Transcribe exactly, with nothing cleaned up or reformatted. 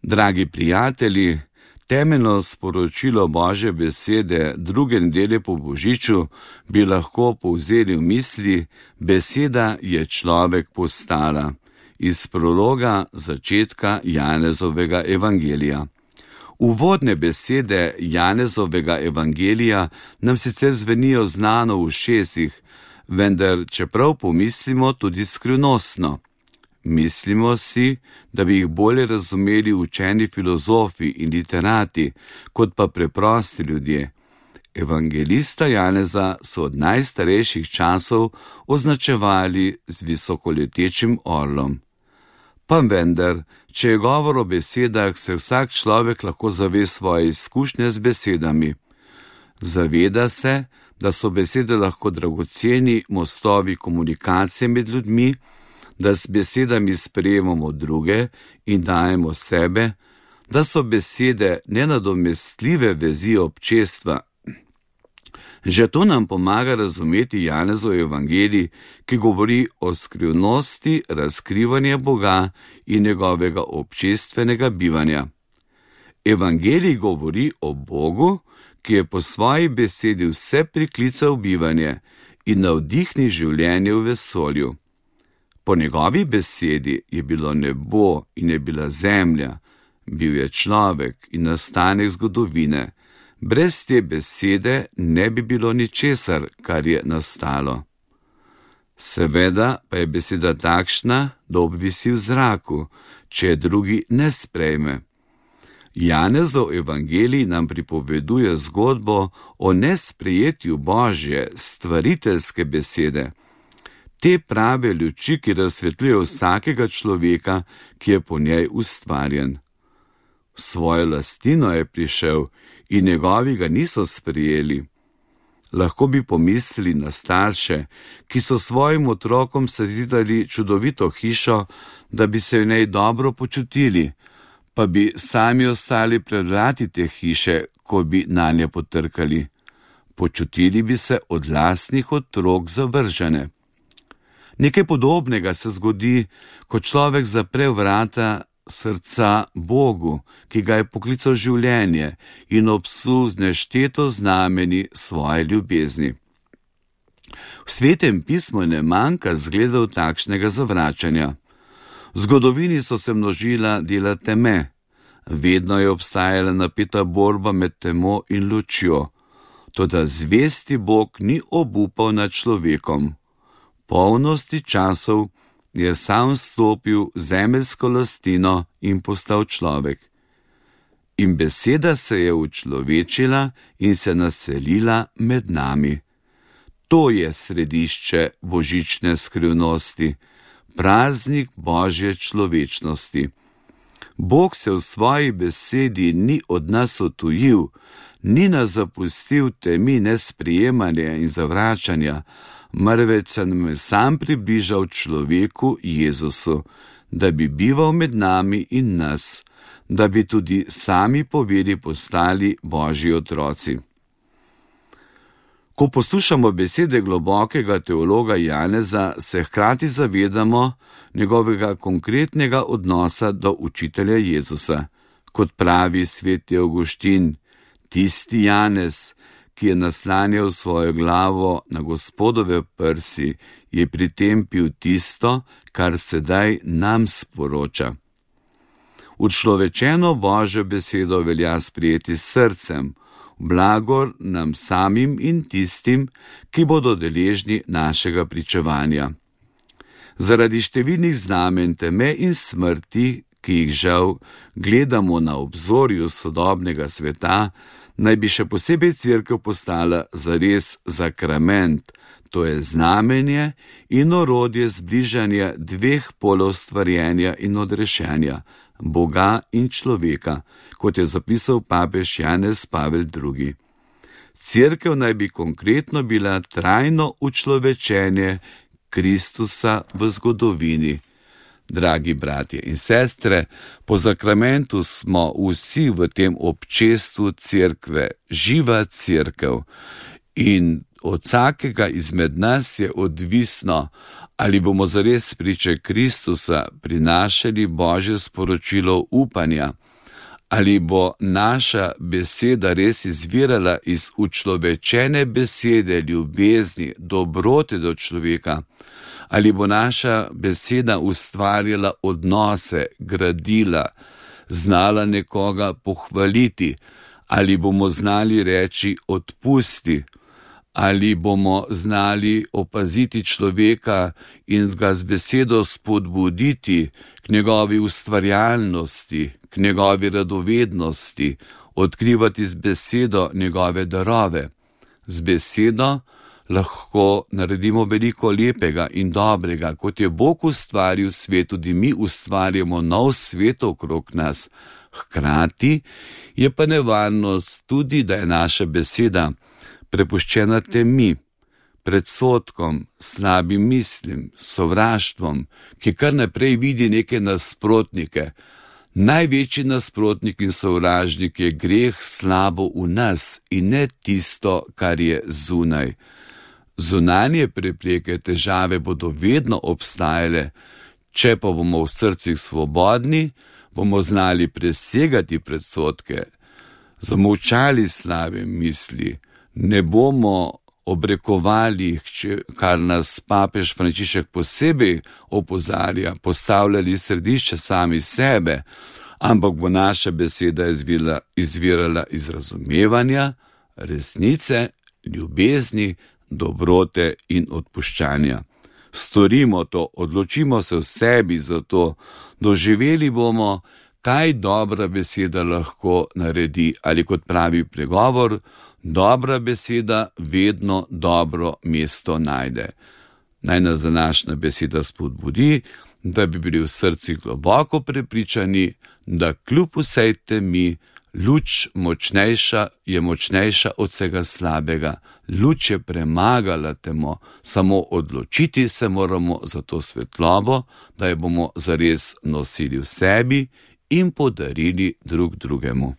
Dragi prijatelji, temeljno sporočilo Božje besede druge nedelje po Božiču bi lahko povzeli v misli: beseda je človek postala, iz prologa začetka Janezovega evangelija. Uvodne besede Janezovega evangelija nam sicer zvenijo znano v ušesih, vendar čeprav pomislimo tudi skrivnostno. Mislimo si, da bi jih bolje razumeli učeni filozofi in literati, kot pa preprosti ljudje. Evangelista Janeza so od najstarejših časov označevali z visokoletečim orlom. Pa vendar, če je govor o besedah, se vsak človek lahko zave svoje izkušnje z besedami. Zaveda se, da so besede lahko dragoceni mostovi komunikacije med ljudmi, da s besedami sprejemamo druge in dajemo sebe, da so besede nenadomestljive vezi občestva. Že to nam pomaga razumeti Janezov evangelij, ki govori o skrivnosti razkrivanja Boga in njegovega občestvenega bivanja. Evangelij govori o Bogu, ki je po svoji besedi vse priklical bivanje in navdihni življenje v vesolju. Po njegovi besedi je bilo nebo in je bila zemlja, bil je človek in nastanek zgodovine. Brez te besede ne bi bilo ničesar, kar je nastalo. Seveda pa je beseda takšna, da obvisi v zraku, če je drugi ne sprejme. Janezov evangelij nam pripoveduje zgodbo o nesprejetju Božje stvariteljske besede, te prave luči, ki razsvetljuje vsakega človeka, ki je po njej ustvarjen. V svojo lastnino je prišel in njegovi ga niso sprejeli. Lahko bi pomislili na starše, ki so svojim otrokom sezidali čudovito hišo, da bi se v njej dobro počutili, pa bi sami ostali pred vrati te hiše, ko bi nanje potrkali. Počutili bi se od lastnih otrok zavržene. Nekaj podobnega se zgodi, ko človek zapre vrata srca Bogu, ki ga je poklical življenje in obsul z nešteto znameni svoje ljubezni. V Svetem pismu ne manjka zgledov takšnega zavračanja. V zgodovini so se množila dela teme, vedno je obstajala napeta borba med temo in lučjo, toda zvesti Bog ni obupal nad človekom. Polnosti časov je sam stopil v zemeljsko lastino in postal človek. In beseda se je učlovečila in se naselila med nami. To je središče božične skrivnosti, praznik Božje človečnosti. Bog se v svoji besedi ni od nas odtujil, ni nas zapustil temi nesprejemanja in zavračanja, marveč se nam je sam približal človeku Jezusu, da bi bival med nami in nas, da bi tudi sami po veri postali Božji otroci. Ko poslušamo besede globokega teologa Janeza, se hkrati zavedamo njegovega konkretnega odnosa do učitelja Jezusa. Kot pravi sveti Avguštin, tisti Janez, ki je naslanjal svojo glavo na Gospodove prsi, je pri tem pil tisto, kar sedaj nam sporoča. Učlovečeno Božjo besedo velja sprejeti s srcem, blagor nam samim in tistim, ki bodo deležni našega pričevanja. Zaradi številnih znamen teme in smrti, ki jih žal gledamo na obzorju sodobnega sveta, naj bi še posebej cerkev postala zares sakrament, to je znamenje in orodje zbližanja dveh polov stvarjenja in odrešenja, Boga in človeka, kot je zapisal papež Janez Pavel drugi. Cerkev naj bi konkretno bila trajno učlovečenje Kristusa v zgodovini. Dragi bratje in sestre, po sakramentu smo vsi v tem občestvu cerkve, živa cerkev, In od vsakega izmed nas je odvisno, ali bomo zares priče Kristusa prinašali Božje sporočilo upanja, ali bo naša beseda res izvirala iz učlovečene besede ljubezni, dobrote do človeka, ali bo naša beseda ustvarjala odnose, gradila, znala nekoga pohvaliti, ali bomo znali reči odpusti, ali bomo znali opaziti človeka in ga z besedo spodbuditi k njegovi ustvarjalnosti, k njegovi radovednosti, odkrivati z besedo njegove darove. Z besedo lahko naredimo veliko lepega in dobrega, kot je Bog ustvaril svet, tudi mi ustvarjamo nov svet okrog nas. Hkrati je pa nevarnost tudi, da je naša beseda prepuščena temi, predsodkom, slabim mislim, sovraštvom, ki kar naprej vidi neke nasprotnike. Največji nasprotnik in sovražnik je greh slabo v nas in ne tisto, kar je zunaj. Zunanje prepreke, težave bodo vedno obstajale, če pa bomo v srcih svobodni, bomo znali presegati predsodke, zamolčali slabe misli, ne bomo obrekovali, kar nas papež Frančišek posebej opozarja, postavljali središče sami sebe, ampak bo naša beseda izvirala, izvirala iz razumevanja, resnice, ljubezni, dobrote in odpuščanja. Storimo to, odločimo se v sebi za to, doživeli bomo, kaj dobra beseda lahko naredi, ali kot pravi pregovor, dobra beseda vedno dobro mesto najde. Naj nas današnja beseda spodbudi, da bi bili v srcih globoko prepričani, da kljub vsej temi luč močnejša je močnejša od vsega slabega. Luč je premagala temo, samo odločiti se moramo za to svetlobo, da jo bomo zares nosili v sebi in podarili drug drugemu.